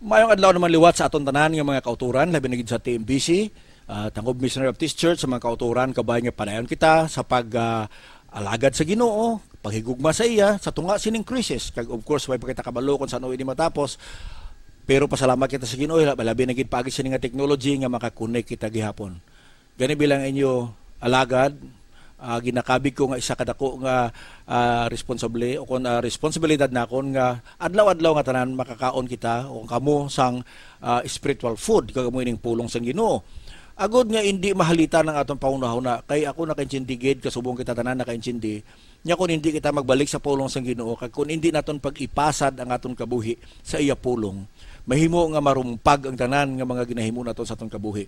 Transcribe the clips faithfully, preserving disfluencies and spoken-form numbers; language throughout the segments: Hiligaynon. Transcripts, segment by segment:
Mayong adlaw naman liwat sa aton tanan nga mga kauturan, labi na gid sa T M B C, ah, Tangub Missionary Baptist Church, sa mga kauturan, kabay nga padayon kita sa pag, ah, alagad sa Ginoo, paghigugma sa iya sa tunga sining krisis. Kag of course, way pa kita kabalo kung saan ini matapos. Pero pasalamat kita sa Ginoo, labi na gid paagi sini nga technology nga makakonek kita gihapon. Gani bilang inyo alagad, ah, ginakabig ko nga isa ka dako nga, ah, responsable o kon, ah, responsibilidad nakon nga adlaw-adlaw nga tanan makakaon kita o kamo sang, ah, spiritual food kag amo ining pulong sang Ginoo. Agod nga indi mahalitan ang aton panghunahuna, kay ako nakaintindi gid, kasubong kita tanan nakaintindi, nga kon hindi kita magbalik sa pulong sang Ginoo, kag kon hindi naton pag-ipasad ang aton kabuhi sa iya pulong, mahimo nga marumpag ang tanan nga mga ginahimo naton sa aton kabuhi.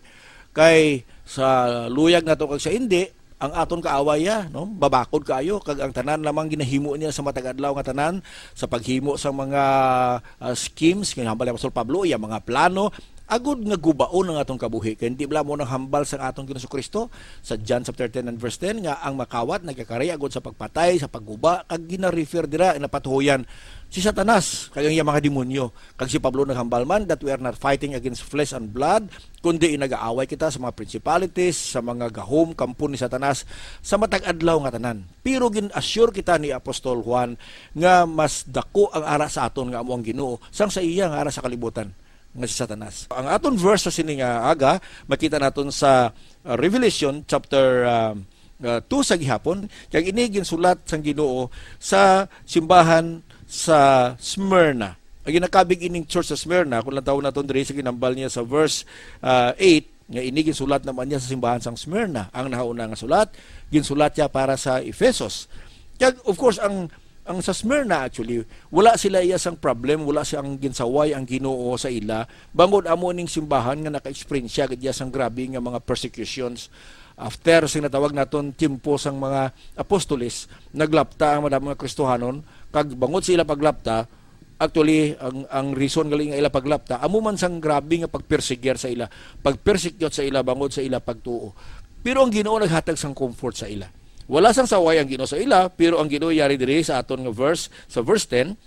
Kay sa luyag nato kag sa indi, ang aton kaaway ya, no? Babakod kaayo, kag ang tanan lamang ginahimo niya sa matag adlaw nga tanan, sa paghimo sa mga, ah, schemes, nga hambal ni Apostol Pablo, iya mga plano, agud nga gubaon ang aton kabuhi. Kay hindi bala mo nang hambal sa aton Ginoong Kristo sa John chapter ten and verse ten, nga ang makawat nagakari agud sa pagpatay, sa pagguba, kag gina-refer dira, napatuhoyan si Satanas kag ang iyang mga demonyo. Kag si Pablo naghambal man that we are not fighting against flesh and blood, kundi nag-aaway kita sa mga principalities, sa mga gahom, kampo ni Satanas, sa matag adlaw nga tanan. Pero gin-assure kita ni Apostol Juan nga mas dako ang ara sa aton nga amo ang Ginoo sang sa iya nga ara sa kalibutan nga si Satanas. Ang aton verse sa sini nga aga, makita naton sa, uh, Revelation chapter, uh, uh, two sa gihapon, kag ini ginsulat sang Ginoo sa simbahan sa Smyrna. Ang ginakabig ining church sa Smyrna, kung lantawon naton diri sa ginambal niya sa verse, uh, eight, nga ini ginsulat naman niya sa simbahan sang Smyrna. Ang nahauna nga sulat, ginsulat niya para sa Efesos. Kag, of course, ang, ang sa Smyrna, actually, wala sila iya sang problem, wala siyang ginsaway ang Ginoo sa ila, bangod amo ning simbahan nga naka-experience siya gid iya sang grabe nga mga persecutions. After sing natawag naton tiempo sang mga apostoles, naglapta ang madamo nga Kristohanon, kag bangod sa ila paglapta, actually, ang, ang reason gali nga ila paglapta, amo man sang grabe nga pagperseguir sa ila, pagpersecute sa ila bangod sa ila pagtuo. Pero ang Ginoo naghatag sang comfort sa ila. Wala sang saway ang Ginoo sa ila, pero ang Ginoo yari diri sa aton nga verse, sa verse ten,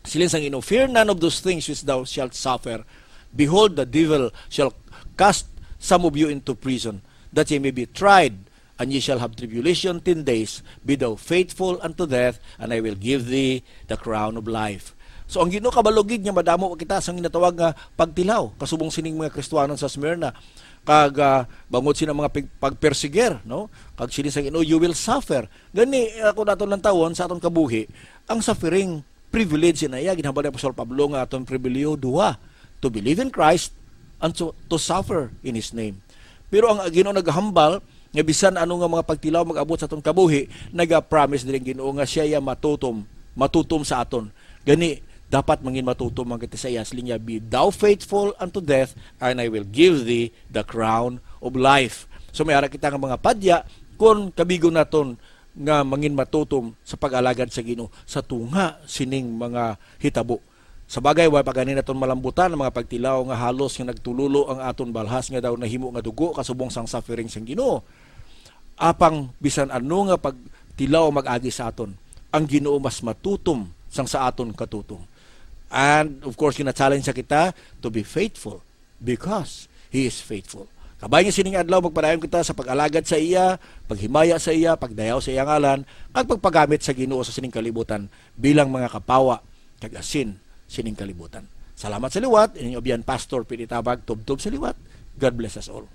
siling sang Ginoo, "Fear none of those things which thou shalt suffer. Behold, the devil shall cast some of you into prison, that ye may be tried, and ye shall have tribulation ten days. Be thou faithful unto death, and I will give thee the crown of life." So, ang Ginoo kabalo gid nga madamo kita sang ginatawag nga pagtilaw, kasubong sining mga Kristohanon sa Smyrna. Kag, ah, bangod sina mga pig-, pagperseguir, no? Kag sini sa Ginoo, "You will suffer." Gani, ako naton lantawon sa aton kabuhi, ang suffering, privilege na iya, ginhambal ni Apostol Pablo nga aton pribiliyo, duha, to believe in Christ and to, to suffer in His name. Pero ang Ginoo nagahambal nga bisan ano nga mga pagtilaw mag-abot sa aton kabuhi, nagapromise diri ang Ginoo nga siya iya matutom, matutom sa aton. Gani, dapat mangin matutom man kita sa iya. Siling niya, "Be thou faithful unto death, and I will give thee the crown of life." So, may ara kita nga mga padya, kung kabigon naton nga mangin matutom sa pag-alagad sa Ginoo sa tunga sining mga hitabo. Sa bagay, wa pa gani naton malambutan ang mga pagtilaw nga halos nga nagtululo ang aton balhas nga daw nahimo nga dugo kasubong sang suffering sang Ginoo. Apang bisan ano nga pagtilaw mag-agi sa aton, ang Ginoo mas matutom sang sa aton katutom. And of course, gina-challenge sa kita to be faithful because He is faithful. Kabay nga sining adlaw, magpadayon kita sa pag-alagad sa iya, paghimaya sa iya, pagdayaw sa iya ngalan, kag pagpagamit sa Ginoo sa sining kalibutan bilang mga kapawa kag asin sining kalibutan. Salamat sa liwat, ining abyan Pastor Pinitabag, tubtob sa liwat. God bless us all.